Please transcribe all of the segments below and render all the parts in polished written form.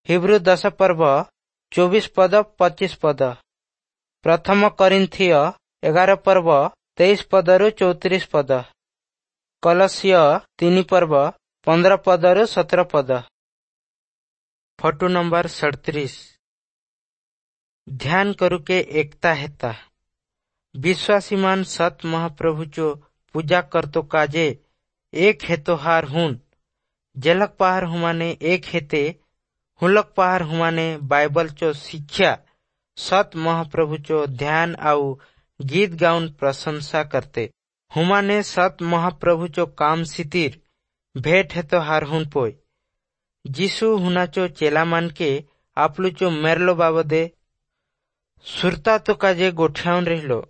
ହିବ୍ରୁ 10 ପର୍ବ 24 ପଦ 25 ପଦ। ପ୍ରଥମ କରିନ୍ଥୀୟ 11 ପର୍ବ 23 ପଦରୁ 34 ପଦ। କଲସୀୟ 3 ପର୍ବ 15 ପଦରୁ 17 ପଦ। Photo number 37। ଧ୍ୟାନ କରୁକେ ଏକତା ହେତା। विश्वासीमान सत महाप्रभुचो पूजा करतो काजे एक हेतो हार हुन। जेलक पहार हुमाने एक हेते हुलक पहार हुमाने बाइबल चो शिक्षा सत महाप्रभुचो ध्यान आउ गीत गाउन प्रशंसा करते। हुमाने सत महाप्रभुचो काम सितिर भेट हेतो हार हुन पोय। जीसु हुनाचो चेलामान के आपलुचो मेरलो बाबदे सुरता तो काजे गोठ्याउन रहिलो।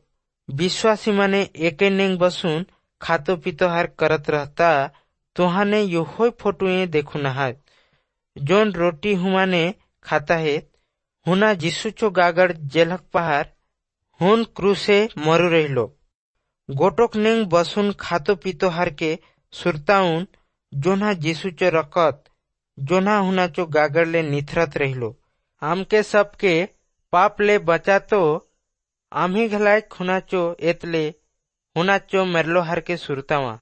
विश्वासी माने एके नेंग बसून खातो पीतो हार करत रहता तुहाने योहोय फोटुए देखू नहात। जोन रोटी हुमाने खाता है हुना जीसुचो गागड़ जेलक पहार हुन क्रूसे मरु रहिलो। गोटोक नेंग बसून खातो पीतो हार के सुरताउन जोना जीसुचो रकत जोना हुनाचो गागड़ ले निथरत रहिलो। आमके सबके पाप ले बचातो आम्ही घलाय खुनाचो एतले हुनाचो मेरलो हार के सुरतावा।